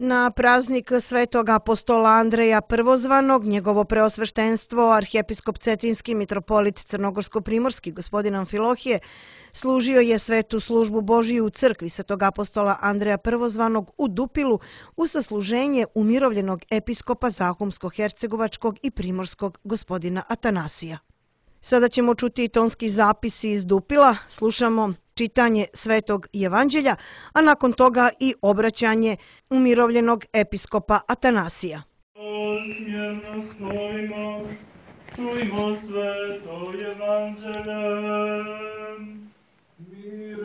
Na praznik svetog apostola Andreja Prvozvanog, njegovo preosveštenstvo, arhijepiskop Cetinski mitropolit Crnogorsko-primorski gospodin Amfilohije, služio je svetu službu Božiju u crkvi svetog apostola Andreja Prvozvanog u Dupilu u sasluženje umirovljenog episkopa Zahumsko-hercegovačkog i primorskog gospodina Atanasija. Sada ćemo čuti tonski zapisi iz Dupila, slušamo čitanje Svetog Evanđelja, a nakon toga i obraćanje umirovljenog episkopa Atanasija. Smjerno stojimo, čujmo Sveto Evanđelje. Mir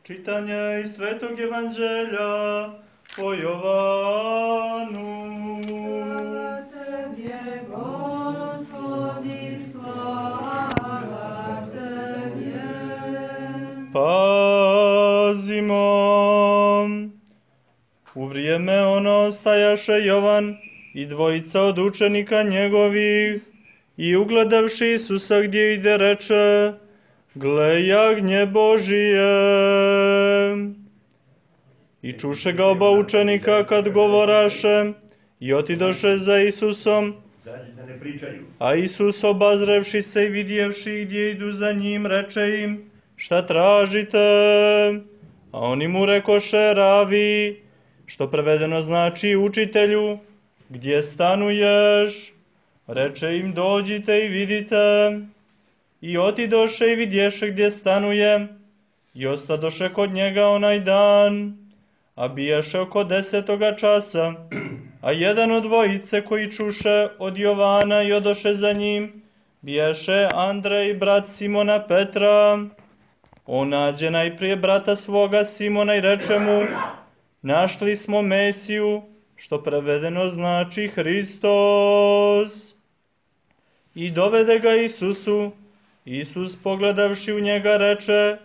čitanje iz Svetog Evanđelja po Jovanu. Pazimo. U vrijeme ono stajaše Jovan i dvojica od učenika njegovih i ugledavši Isusa gdje ide reče: Gle jagnje Božije. I čuše ga oba učenika kad govoraše i otidoše za Isusom. A Isus obazrevši se i vidjevši gdje idu za njim, reče im: Šta tražite? A oni mu rekoše: Ravi, što prevedeno znači učitelju, gdje stanuješ? Reče im: Dođite i vidite. I otidoše i vidješe gdje stanuje, i ostadoše kod njega onaj dan, a bijaše oko 10. časa. A jedan od dvojice koji čuše od Jovana i odoše za njim, bijaše Andrej, brat Simona Petra. On nađe najprije brata svoga Simona i reče mu: Našli smo Mesiju, što prevedeno znači Hristos. I dovede ga Isusu. Isus pogledavši u njega reče: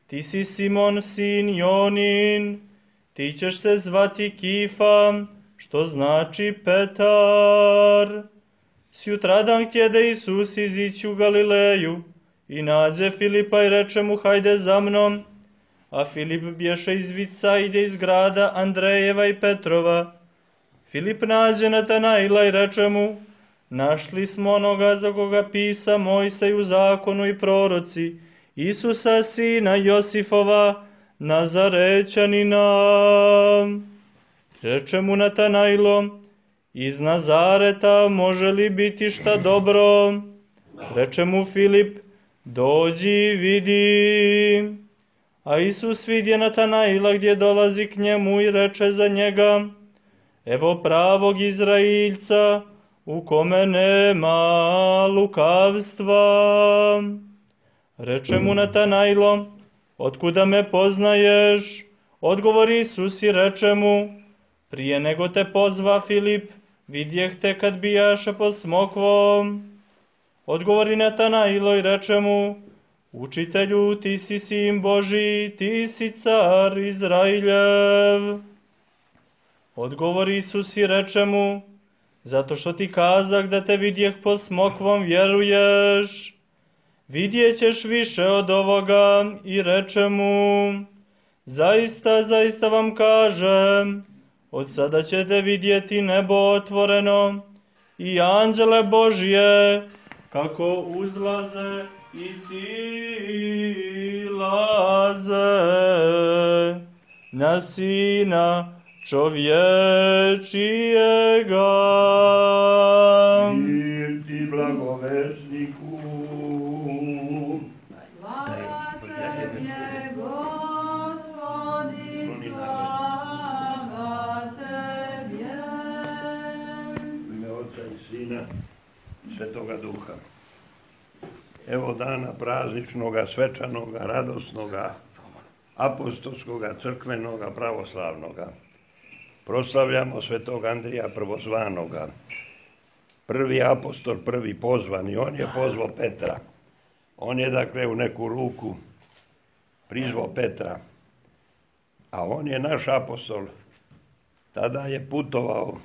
Ti si Simon, sin Jonin, ti ćeš se zvati Kifa, što znači Petar. Sjutradan htjede Isus izići u Galileju i nađe Filipa i reče mu: Hajde za mnom. A Filip bješe iz Vicajde iz grada Andrejeva i Petrova. Filip nađe Natanaila i reče mu: Našli smo onoga za koga pisa Mojsej u zakonu i proroci, Isusa sina Josifova, Nazarećanina. Reče mu Natanailo: Iz Nazareta može li biti šta dobro? Reče mu Filip: Dođi i vidi. A Isus vidje Natanaila gdje dolazi k njemu i reče za njega: Evo pravog Izraeljca, u kome nema lukavstva. Reče mu Natanailo: Otkuda me poznaješ? Odgovori Isus i reče mu: Prije nego te pozva Filip, vidjeh te kad bijaše pod smokvom. Odgovori Natanailo i reče mu: Učitelju, ti si sin Božji, ti si car Izrailjev. Odgovori Isus i reče mu: Zato što ti kazah da te vidjeh pod smokvom vjeruješ. Vidjet ćeš više od ovoga. I reče mu: Zaista, zaista vam kažem, od sada ćete vidjeti nebo otvoreno i anđele Božje kako uzlaze i silaze na Sina čovječijega. Mir ti blagovesniku. Slava Tebe, Gospodi, slava Tebe. U ime Otca i Sina, Svetoga Duha. Evo dana prazničnoga, svečanoga, radosnoga, apostolskoga, crkvenoga, pravoslavnoga. Proslavljamo svetog Andrija Prvozvanoga. Prvi apostol, prvi pozvani. On je pozvao Petra. On je dakle u neku ruku prizvao Petra. A on je naš apostol. Tada je putovao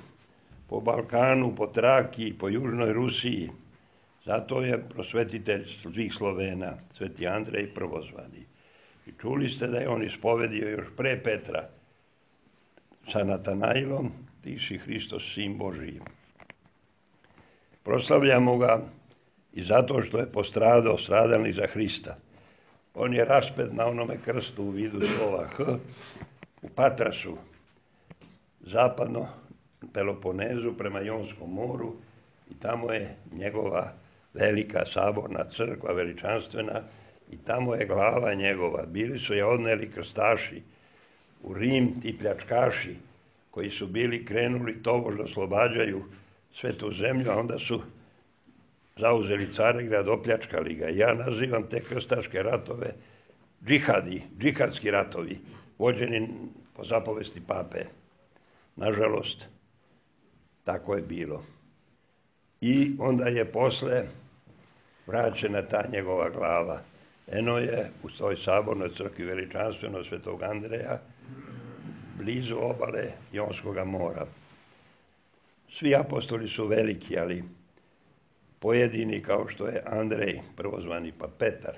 po Balkanu, po Traki, po Južnoj Rusiji. Zato je prosvetitelj svih Slovena, sveti Andrej Prvozvani. I čuli ste da je on ispovedio još pre Petra sa Natanailom, ti si Hristos, sin Božiji. Proslavljamo ga i zato što je postradao, stradalnik za Hrista. On je raspet na onome krstu u vidu slova H u Patrasu, zapadno Peloponezu prema Jonskom moru, i tamo je njegova velika saborna crkva, veličanstvena, i tamo je glava njegova. Bili su je odneli krstaši u Rim, ti pljačkaši koji su bili krenuli tobož da oslobađaju svetu zemlju, a onda su zauzeli Carigrad, opljačkali ga. Ja nazivam te krstaške ratove džihadski ratovi, vođeni po zapovesti pape. Nažalost, tako je bilo. I onda je posle vraćena ta njegova glava. Eno je u toj sabornoj crkvi veličanstveno Svetog Andreja, blizu obale Jonskoga mora. Svi apostoli su veliki, ali pojedini kao što je Andrej, prvozvani, pa Petar,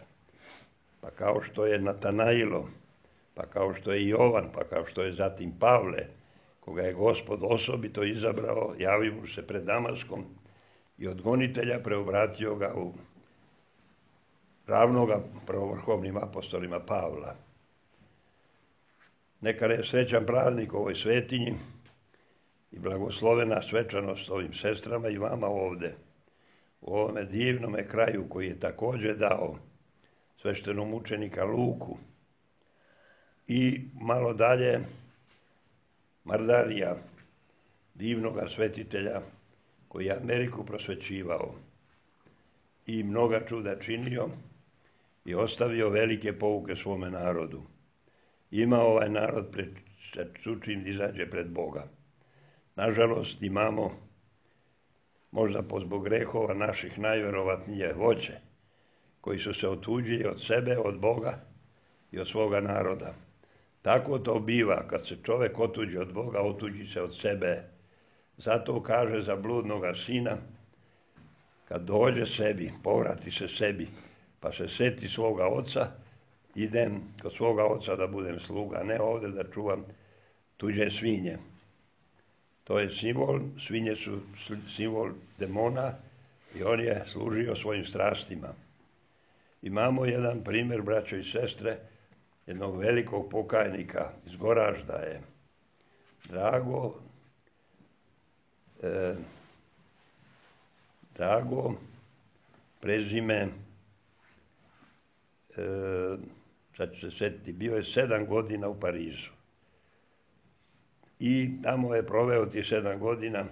pa kao što je Natanailo, pa kao što je Jovan, pa kao što je zatim Pavle, koga je Gospod osobito izabrao, javio mu se pred Damaskom i od gonitelja preobratio ga u ravnoga prvovrhovnim apostolima Pavla. Neka je srećan praznik ovoj svetinji i blagoslovena svečanost ovim sestrama i vama ovde, u ovome divnome kraju koji je takođe dao sveštenomučenika Luku, i malo dalje Mardarija, divnoga svetitelja koji je Ameriku prosvećivao i mnoga čuda činio i ostavio velike pouke svome narodu. Ima ovaj narod pred čim izađe pred Boga. Nažalost, imamo, možda zbog grehova naših, najverovatnije vođe, koji su se otuđili od sebe, od Boga i od svoga naroda. Tako to biva, kad se čovek otuđi od Boga, otuđi se od sebe. Zato kaže za bludnoga sina, kad dođe sebi, povrati se sebi, pa se seti svoga oca, idem kod svoga oca da budem sluga, ne ovde da čuvam tuđe svinje. To je simbol, svinje su simbol demona i on je služio svojim strastima. Imamo jedan primjer, braćo i sestre, jednog velikog pokajnika iz Goražda je Drago, prezime, sad ću se sjetiti, bio je 7 godina u Parizu. I tamo je proveo ti 7 godina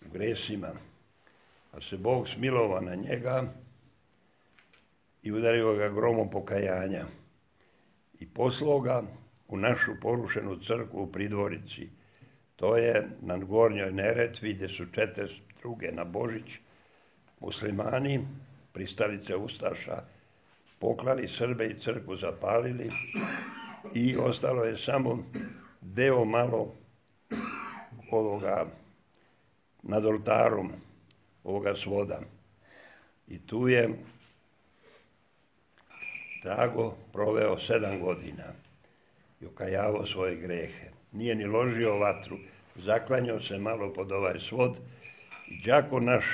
u gresima, a se Bog smilovao na njega i udario ga gromom pokajanja i poslao ga u našu porušenu crkvu u Pridvorici. To je na Gornjoj Neretvi, gde su 42. na Božić muslimani, pristalice ustaša, poklali Srbe i crkvu zapalili i ostalo je samo deo malo ovoga nad oltarom, ovoga svoda. I tu je Drago proveo 7 godina i okajavao svoje grehe. Nije ni ložio vatru, zaklanjao se malo pod ovaj svod i đako naš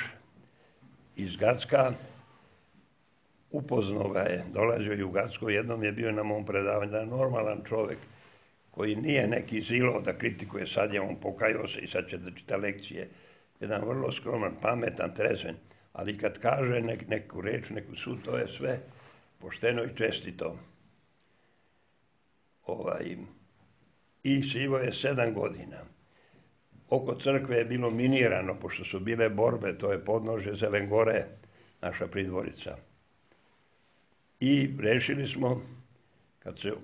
iz Gacka upoznao ga je, dolazio i u Gacko, jednom je bio na mom predavanju, da je normalan čovek koji nije neki zilo da kritikuje, sad je on pokajao se i sad će da čita lekcije. Jedan vrlo skroman, pametan, trezven, ali kad kaže neku reč, neku sud, to je sve pošteno i čestito. I živo je 7 godina. Oko crkve je bilo minirano, pošto su bile borbe, to je podnožje Zelengore, naša Pridvorica. I rešili smo,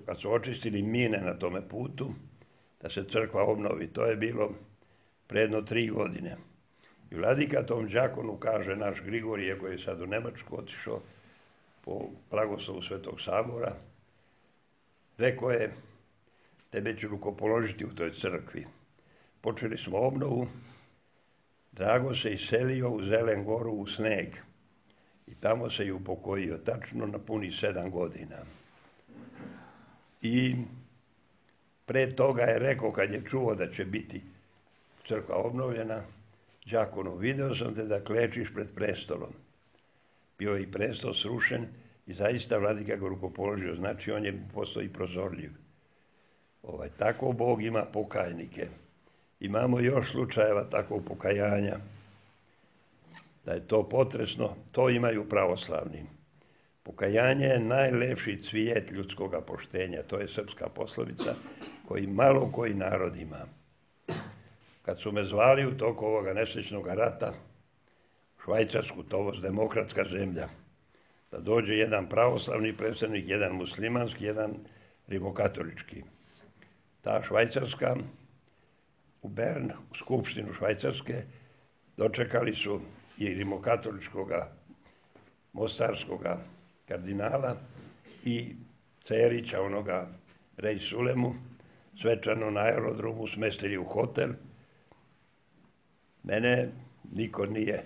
kad su očistili mine na tome putu, da se crkva obnovi. To je bilo predno 3 godine. I vladika tom đakonu kaže, naš Grigorije, koji je sad u Nemačku otišao po blagoslovu Svetog Sabora, rekao je, tebe ću rukopoložiti u toj crkvi. Počeli smo obnovu, Drago se iselio u Zelengoru u sneg i tamo se i upokojio, tačno na puni 7 godina. I pre toga je rekao, kad je čuo da će biti crkva obnovljena, đakonu, video sam te da klečiš pred prestolom. Bio je i prestol srušen i zaista vladika ga rukopoložio, znači on je postao i prozorljiv. Tako Bog ima pokajnike. Imamo još slučajeva takvog pokajanja, da je to potresno, to imaju pravoslavni. Pokajanje je najlepši cvijet ljudskoga poštenja, to je srpska poslovica koji malo koji narod ima. Kad su me zvali u toku ovoga nesrećnog rata, Švajcarsku, to je demokratska zemlja, da dođe jedan pravoslavni predstavnik, jedan muslimanski, jedan rimokatolički. Ta Švajcarska, u Bern, u skupštinu Švajcarske, dočekali su i rimokatoličkoga, mostarskoga kardinala i Cerića, onoga Rej Sulemu, svečano na aerodromu smestili u hotel. Mene niko nije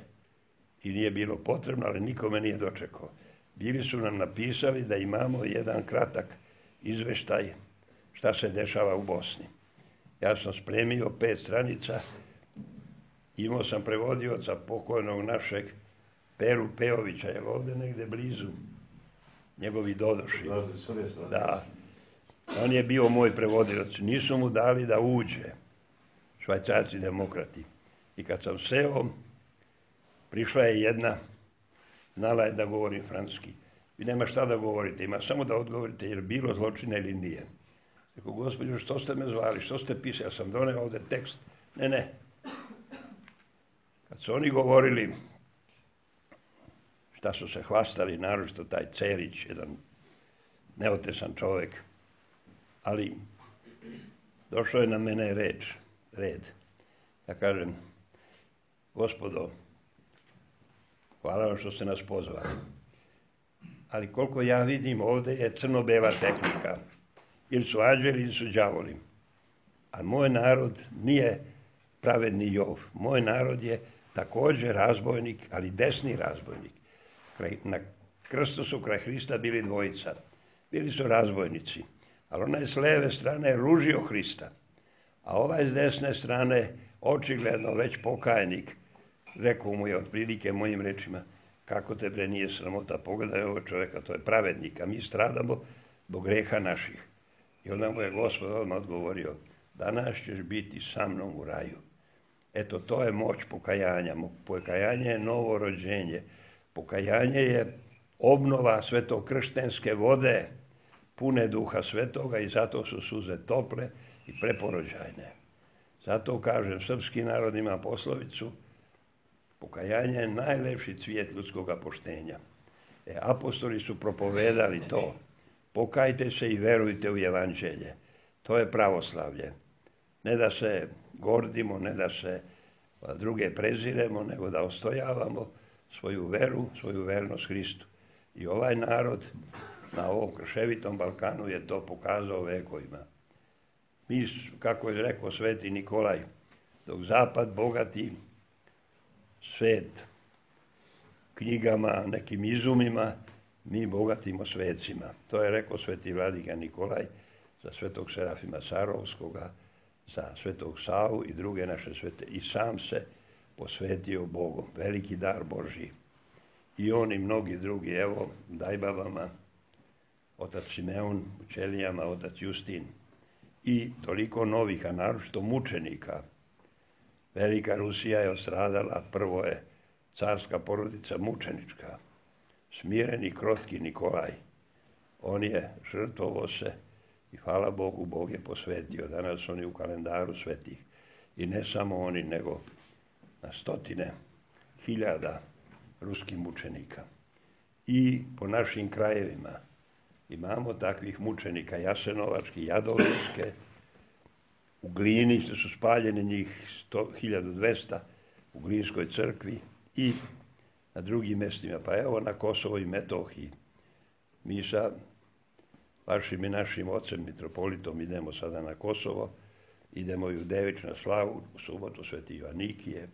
i nije bilo potrebno, ali niko me nije dočekao. Bili su nam napisali da imamo jedan kratak izveštaj šta se dešava u Bosni. Ja sam spremio 5 stranica, imao sam prevodioca pokojnog našeg Peru Pejovića, je ovde negde blizu, njegovi dodoši. Da, on je bio moj prevodilac. Nisu mu dali da uđe, Švajcarci demokrati. I kad sam seo, prišla je jedna, znala je da govorim francuski. Vi nema šta da govorite, ima samo da odgovorite jer bilo zločina ili nije. Rekao, gospođo, što ste me zvali, što ste pisali, ja sam doneo ovde tekst. Ne. Kad su oni govorili, šta su se hvastali, naročito taj Cerić, jedan neotesan čovek, ali došao je na mene red. Ja kažem, gospodo, hvala vam što ste nas pozvali, ali koliko ja vidim ovde je crno-bela tehnika. Ili su anđeli, ili su đavoli. A moj narod nije pravedni Jov. Moj narod je takođe razbojnik, ali desni razbojnik. Na krstu su kraj Hrista bili dvojica. Bili su razbojnici. Ali onaj s leve strane je ružio Hrista. A ovaj s desne strane, očigledno već pokajnik, rekao mu je otprilike mojim rečima, kako te bre nije sramota, pogledaj ovo čoveka, to je pravednik, a mi stradamo zbog greha naših. I onda mu je Gospod odmah odgovorio, danas ćeš biti sa mnom u raju. Eto, to je moć pokajanja. Pokajanje je novo rođenje. Pokajanje je obnova svetokrštenske vode, pune Duha Svetoga i zato su suze tople i preporođajne. Zato kažem, srpski narod ima poslovicu, pokajanje je najlepši cvijet ljudskoga poštenja. Apostoli su propovedali to. Pokajte se i verujte u evanđelje. To je pravoslavlje. Ne da se gordimo, ne da se druge preziremo, nego da ostojavamo svoju veru, svoju vernost Hristu. I ovaj narod na ovom krševitom Balkanu je to pokazao vekovima. Mi, kako je rekao sveti Nikolaj, dok zapad bogati svet knjigama, nekim izumima, mi bogatimo svecima. To je rekao sveti vladika Nikolaj za svetog Serafima Sarovskoga, za svetog Savu i druge naše svete. I sam se posvetio Bogu. Veliki dar Božji. I on i mnogi drugi, evo, Dajbabama, otac Simeon, u Ćelijama, otac Justin. I toliko novih, a naročito mučenika. Velika Rusija je ostradala, prvo je carska porodica mučenička. Smireni, krotki Nikolaj. On je žrtvovo se i hvala Bogu, Bog je posvetio. Danas oni u kalendaru svetih. I ne samo oni, nego na stotine hiljada ruskih mučenika. I po našim krajevima imamo takvih mučenika, Jasenovački, Jadovske, u Glini su spaljeni njih 1200 u Glinskoj crkvi i na drugim mestima. Pa evo na Kosovo i Metohiji. Mi sa vašim i našim ocem, mitropolitom, idemo sada na Kosovo, idemo i u Devič na slavu, u subotu Sveti Joanikije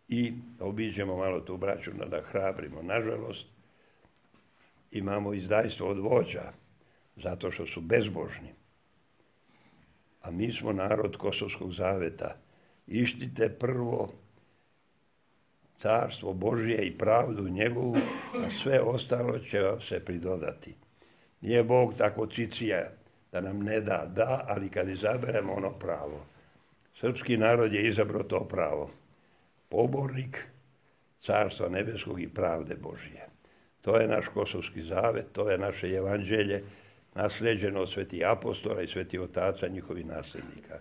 i obiđemo malo tu braću da hrabrimo. Nažalost, imamo izdajstvo od vođa, zato što su bezbožni. A mi smo narod Kosovskog zaveta. Ištite prvo carstvo Božje i pravdu njegovu, a sve ostalo će vam se pridodati. Nije Bog tako cicija da nam ne da, ali kad izaberemo ono pravo. Srpski narod je izabrao to pravo. Pobornik carstva nebeskog i pravde Božje. To je naš Kosovski zavet, to je naše evanđelje, naslijeđeno od svetih apostola i svetih otaca njihovih nasljednika.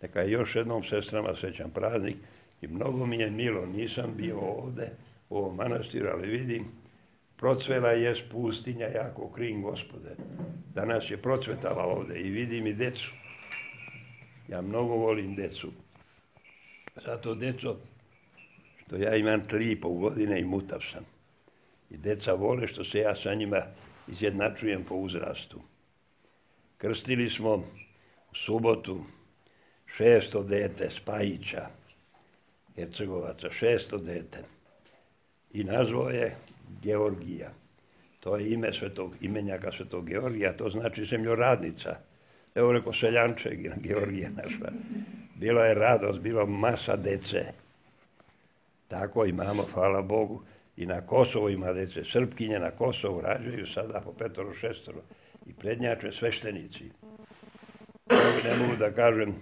Neka još jednom sestrama srećan praznik i mnogo mi je milo, nisam bio ovde u ovom manastiru, ali vidim, procvela je pustinja jako krim Gospode. Danas je procvetala ovde i vidim i decu. Ja mnogo volim decu. Zato, deco, što ja imam 3,5 godine i mutav sam. I deca vole što se ja sa njima izjednačujem po uzrastu. Krstili smo u subotu 6. dete Spajića, Hercegovaca, 6. dete. I nazvao je Georgija. To je ime imenjaka svetog Georgija, to znači zemljoradnica. Evo reko seljanče, Georgija naša. Bila je radost, bila masa dece. Tako imamo, hvala Bogu. I na Kosovu ima dece. Srpkinje na Kosovu rađaju sada po 5-6 i prednjače sveštenici. Ne mogu da kažem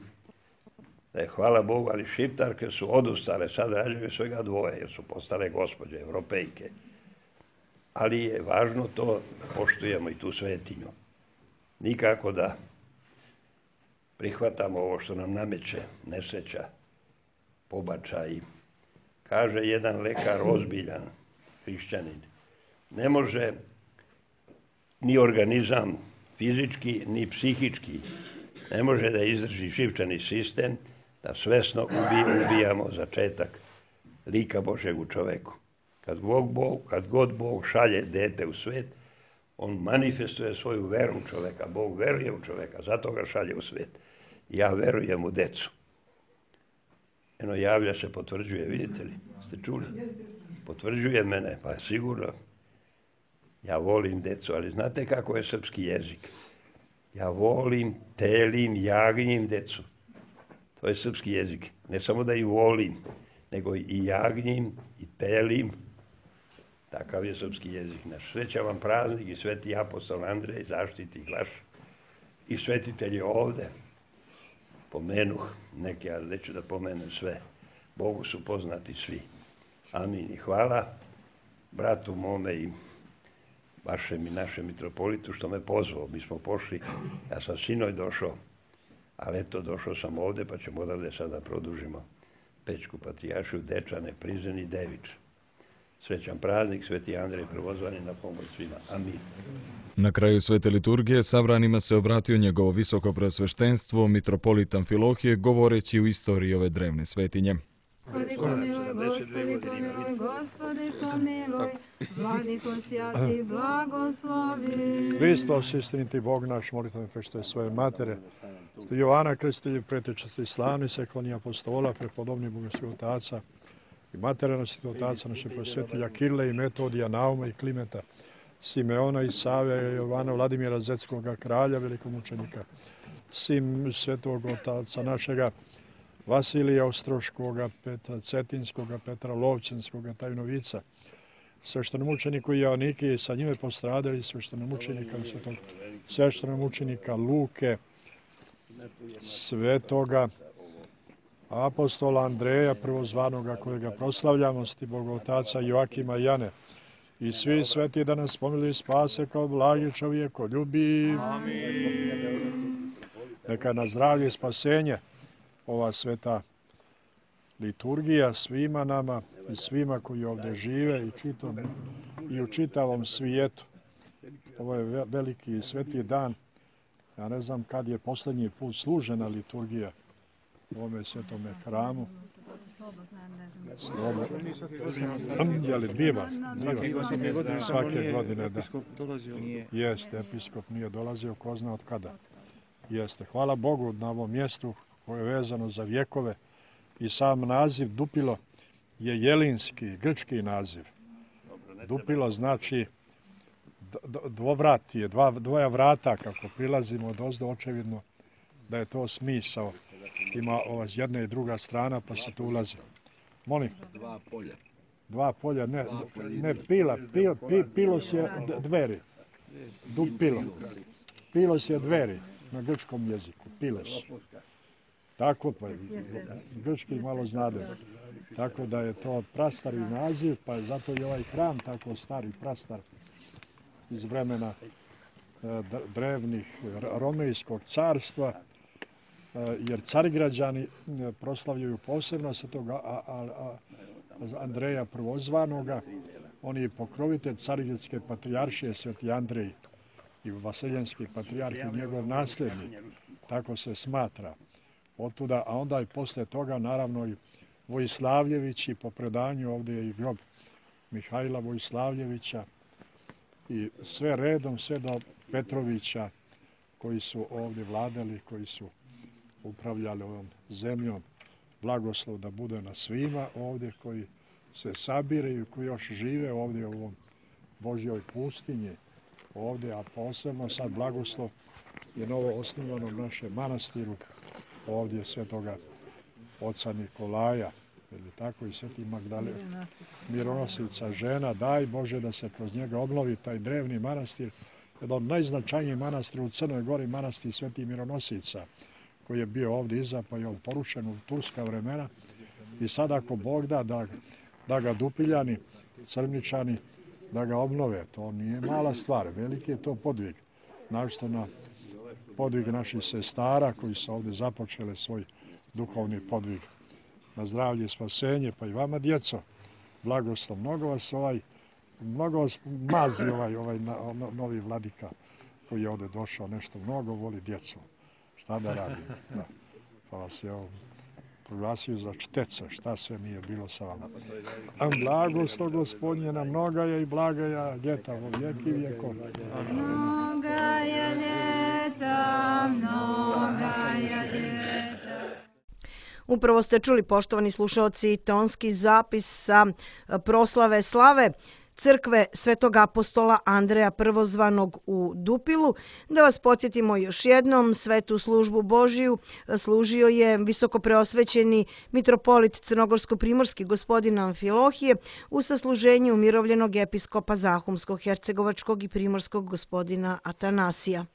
da je hvala Bogu, ali šiptarke su odustale, sad rađaju svega 2, jer su postale gospođe, evropejke. Ali je važno to da poštujemo i tu svetinju. Nikako da prihvatamo ovo što nam nameće nesreća, pobačaj. Kaže jedan lekar ozbiljan, hrišćanin, ne može ni organizam fizički ni psihički ne može da izdrži živčani sistem da svesno ubijamo začetak lika Božeg u čoveku. Kad god Bog šalje dete u svet, on manifestuje svoju veru u čoveka. Bog veruje u čoveka, zato ga šalje u svet. Ja verujem u decu. Eno, javlja se, potvrđuje, vidite li? Ste čuli? Potvrđuje mene, pa sigurno. Ja volim decu, ali znate kako je srpski jezik? Ja volim, telim, jagnjim decu. To je srpski jezik. Ne samo da ih volim, nego i jagnjim, i telim. Takav je srpski jezik naš. Sreća vam praznik i sveti apostol Andrej, zaštiti glaš. I svetitelji ovde. Pomenuh neke, ali neću da pomenem sve. Bogu su poznati svi. Amin i hvala bratu mome i vašem i našem mitropolitu što me pozvao. Mi smo pošli, ja sam sinoć došao, ali eto došao sam ovde pa ćemo odavde sada produžimo Pećku patrijaršiju, Dečane, Prizren i Devič. Srećan praznik, sveti Andrej Prvozvani, na pomoć svima. Amin. Na kraju svete liturgije sabranima se obratio njegovo visoko preosveštenstvo, mitropolit Amfilohije, govoreći u istoriji ove drevne svetinje. Gospodi pomiluj, Gospodi pomiluj, Vladiko sjati blagoslovi. Hristos, istiniti Bog naš, molitve prešte svoje matere, sti Jovana Kristilju, pretečasti slavni sekloni apostola, prepodobni bogosti otaca i matere naših otaca, naših prosvetilja Kirle i Metodija, Nauma i Klimeta, Simeona i Save, Jovana Vladimira Zetskoga, kralja, velikomučenika, sim svetog otaca našega, Vasilija Ostroškoga, Petra Cetinskoga, Petra Lovćenskoga, Tajnovica, sveštenomučeniku Joanike i sa njime postradali sveštenomučenika Luke, svetoga apostola Andreja prvozvanoga kojega proslavljamo, sti Boga otaca Joakima i Jane i svi sveti da nas pomiluju i spase kao blagi čovjeko ljubi. Neka na zdravlje i spasenje ova sveta liturgija svima nama i svima koji ovdje žive i u čitavom svijetu. Ovo je veliki i sveti dan. Ja ne znam kad je posljednji put služena liturgija u ovome svetome hramu. Jeli biva? Svake godine, da. Jeste, episkop nije dolazio, ko zna od kada. Jeste. Hvala Bogu na ovom mjestu koje je vezano za vjekove i sam naziv Dupilo je jelinski, grčki naziv. Dupilo znači dvovratije, dvoja vrata kako prilazimo od ozdo, očevidno da je to smisao. Ima s jedna i druga strana pa se tu ulazi. Molim? Dva polja, ne pilos je dveri. Pilos je dveri na grčkom jeziku, pilos. Tako pa, grčki malo znade. Tako da je to prastari naziv, pa zato i ovaj hram tako stari, prastar iz vremena drevnih Romejskog carstva, jer carigrađani proslavljaju posebno svetoga Andreja Prvozvanoga. On je pokrovitelj carigradske patrijaršije Sveti Andrej i vaseljenski patrijarh i njegov nasljednik. Tako se smatra. Otuda, a onda i posle toga naravno i Vojislavljević i po predanju ovdje je i grob Mihajla Vojislavljevića i sve redom, sve do Petrovića koji su ovdje vladali, koji su upravljali ovom zemljom. Blagoslov da bude na svima ovdje koji se sabiraju, koji još žive ovdje u ovom Božjoj pustinji ovdje, a posebno sad blagoslov je novo osnivanom našem manastiru ovdje svetoga oca Nikolaja, ili tako i sveti Magdalena, mironosica žena. Daj Bože da se kroz njega obnovi taj drevni manastir, jedan od najznačajnijih manastira u Crnoj Gori, manastir sveti mironosica, koji je bio ovdje iza, pa je on porušen u turska vremena. I sad ako Bog da ga Dupiljani, Crničani, da ga obnove, to nije mala stvar, veliki je to podvig. Našto na podvig naših sestara koji su ovdje započele svoj duhovni podvig. Na zdravlje i spasenje, pa i vama djeco, blagoslov. Mnogo vas mazi ovaj novi vladika koji je ovdje došao, nešto mnogo voli djecu. Šta da radi? Pa vas je proglasio za čteca, šta sve nije bilo sa vama. Blagoslov Gospodnje na mnogaja i blagaja ljeta vo vijeki vijekov. Mnogaja ljeta, mnogaja ljeta. Upravo ste čuli, poštovani slušaoci, tonski zapis sa proslave slave crkve Svetog apostola Andreja Prvozvanog u Dupilu. Da vas podsjetimo još jednom, svetu službu Božiju služio je visokopreosvećeni mitropolit crnogorsko-primorski gospodin Amfilohije u sasluženju umirovljenog episkopa Zahumskog, hercegovačkog i primorskog gospodina Atanasija.